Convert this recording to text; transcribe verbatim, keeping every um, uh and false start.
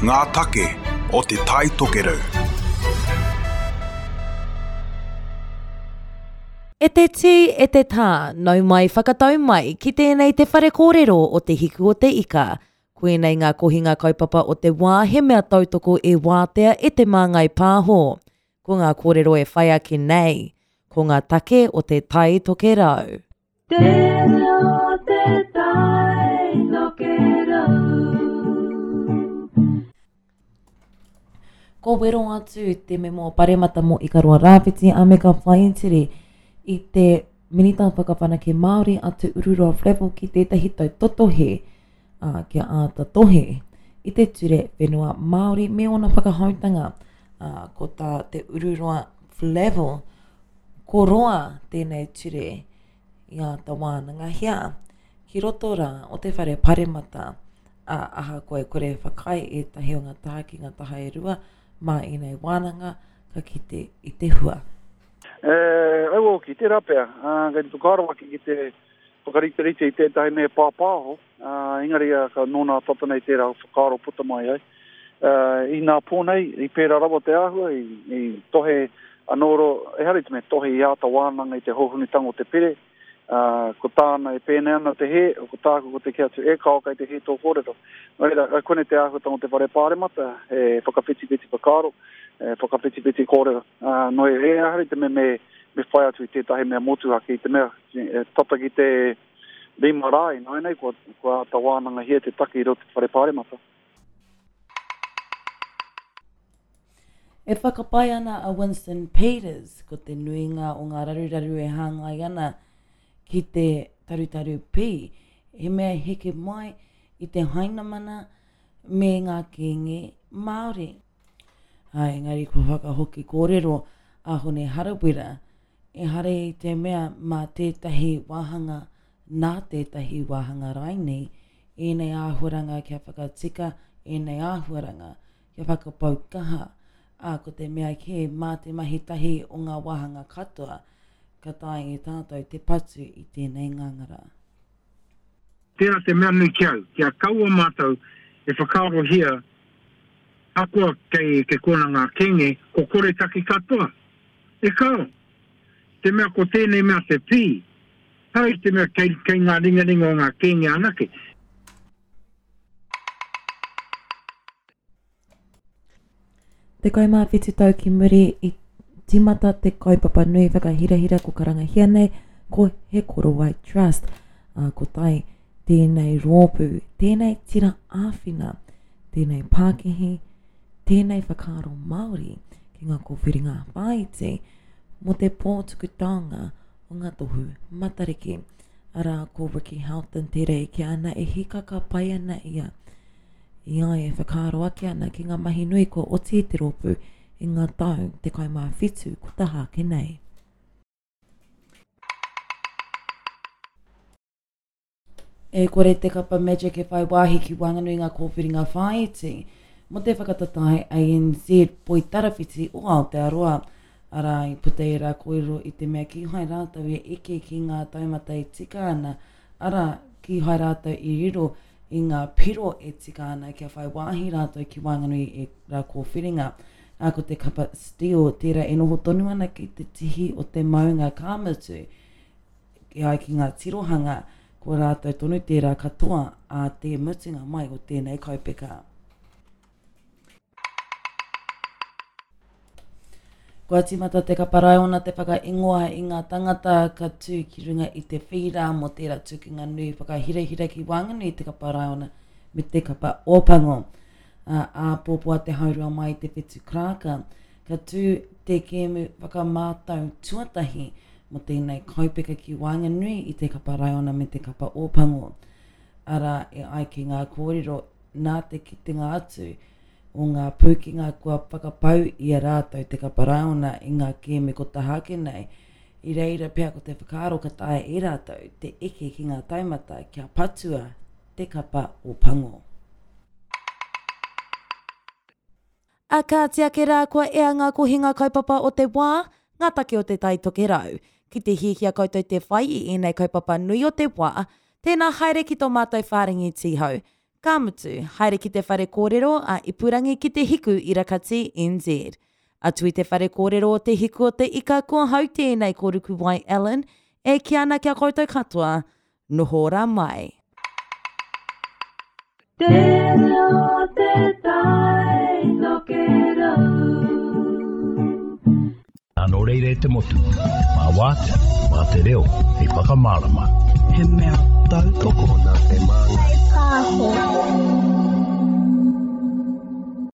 Ngā take o Te Tai Tokerau. E te tī, e te tā, nau mai whakatau mai ki tēnei te whare kōrero o Te Hiku o Te Ika. Koinei ngā kohinga kaupapa o te wā he mea tautoko e wātea e Te Māngai Pāho. Ko ngā kōrero e whai ake nei, ko ngā take o Te Tai Tokerau. Te reo te tai tokerau. Ko wero atu te memo paremata mō Ikaroa Rāwhiti a Meka Whaitiri i te Minita Whakawhanake Māori a Te Ururoa Flavell ki tētahi tautotohe, ā, kia āta tohe i te ture whenua Māori me ōna whakahoutanga. Ā, ko tā Te Ururoa Flavell, ko roa tēnei ture i āta wānangahia ki roto rā o te whare paremata, ā, ahakoa e kore e whakaae ētahi o ngā taha ki ngā taha e rua mā ēnei wānanga ka kite i te hua. E, aua hoki, tērā pea, ā, kei te whakaaro ake ki te whakariterite i tētahi mea pāpāho, ā, engari ā, ka nō nā tata nei tērā whakaaro puta mai ai. Ā, i nā pō nei, i pērā rawa te āhua, i, i tohe anō ro, ehara i te mea tohe i āta wānanga i te hōhonutanga o te pere, ā, ko tāna e pēnei ana te hē, ko tāku ko te kī atu, e kao kei te hē tō kōrero. Nō reira, koinei te āhuatanga o te whare pāremata, he whakawhitiwhiti whakaaro, e whakawhitiwhiti kōrero. Ā, nō reira, ehara i te mea me, me whai atu i tētahi mea motuhake, i te mea e, tata ki te rima rā ināianei, kua, kua āta wānangahia te take i roto i te whare pāremata. E whakapae ana a Winston Peters, ko te nuinga o ngā raruraru e hāngai ana ki te tarutaru pī, he mea heke mai i te Hainamana me ngā kēnge Māori. Ā, engari kua whakahoki kōrero a Hone Harawira, ehara i te mea mā tētahi wāhanga, nā tētahi wāhanga rainei, ēnei āhuaranga kia whakatika ēnei āhuaranga, kia whakapau kaha, ā, ko te mea kē mā te mahi tahi o ngā wāhanga katoa, ka taea e tātou te patu i tēnei ngangara. Tērā te mea nui ki au, kia kaua mātou e whakaarohia ahakoa kei te kona ngā kēnge, ko koretake katoa. E kāo! Te mea ko tēnei mea te pī, ehara i te mea kei, kei ngā ringaringa o ngā kēnge anake. Tekau mā whitu tau ki muri i tīmata te kaupapa nui whakahirahira ko karangahia nei ko He Korowai Trust. Ā, ko tai tēnei rōpū, tēnei tira āwhina, tēnei pākihi, tēnei whakaaro Māori ki ngā kōwhiringa whāiti mō te pō tuku taonga o ngā tohu Matariki. Arā, ko Ricky Houghton tērā e kī ana e hīkaka pai ana ia. I a ia e whakaaro ake ana ki ngā mahi nui kua oti i te rōpū i ngā tau tekau mā whitu ko taha ake nei. E kore te kapa Magic e whai wāhi ki waenganui i ngā kōwhiringa whāiti mō te whakatatae A N Z Poitarawhiti o Aotearoa. Arā, i puta ērā kōrero i te mea kīhai rātou e eke ki ngā taumata e tika ana, arā, kīhai rātou i riro i ngā piro e tika ana kia whai wāhi rātou ki waenganui i ērā kōwhiringa. Ā, ko te kapa Steel tērā e noho tonu ana ki te tihi o te maunga ka mutu, e ai ki ngā tirohanga, ko rātou tonu tērā katoa ā te mutunga mai o tēnei kaupeka. Kua tīmata te kapa raiona te whakaingoa i ngā tangata ka tū ki runga i te whīra mō tērā tukinga nui whakahirahira ki waenganui i te kapa raiona me te kapa Ōpango. Ā, āpōpō a te haurua mai i te whetu karaka, ka tū te kēmu whakamātau tuatahi mō tēnei kaupeka ki waenganui i te kapa raiona me te kapa Ōpango. Arā, e ai ki ngā kōrero nā te kitenga atu o ngā pūkenga kua whakapau i a rātou te kapa raiona i ngā kēmu ko taha ake nei, i reira pea ko te whakaaro ka taea e rātou te eke ki ngā taumata kia patua te kapa Ōpango. A kāti ake rā kua ea ngā kohinga kaupapa o te wā, ngā take o Te Tai Tokerau. Ki te hiahia koutou te whai i ēnei kaupapa nui o te wā, tēnā haere ki tō mātou whārangi tīhau. Ka mutu, haere ki te whare kōrero a Ipurangi ki te Hiku Irakati N Z. Atu i te whare kōrero o te Hiku o te Ika ko hau tēnei ko Rukuwai Allen, e ki ana kia koutou katoa, noho ora mai. Te reo te tai tokerau. Nā nō reira e te motu, mā wātea, mā te reo, hei whakamārama. He mea tautoko nā te māngai. Pāho.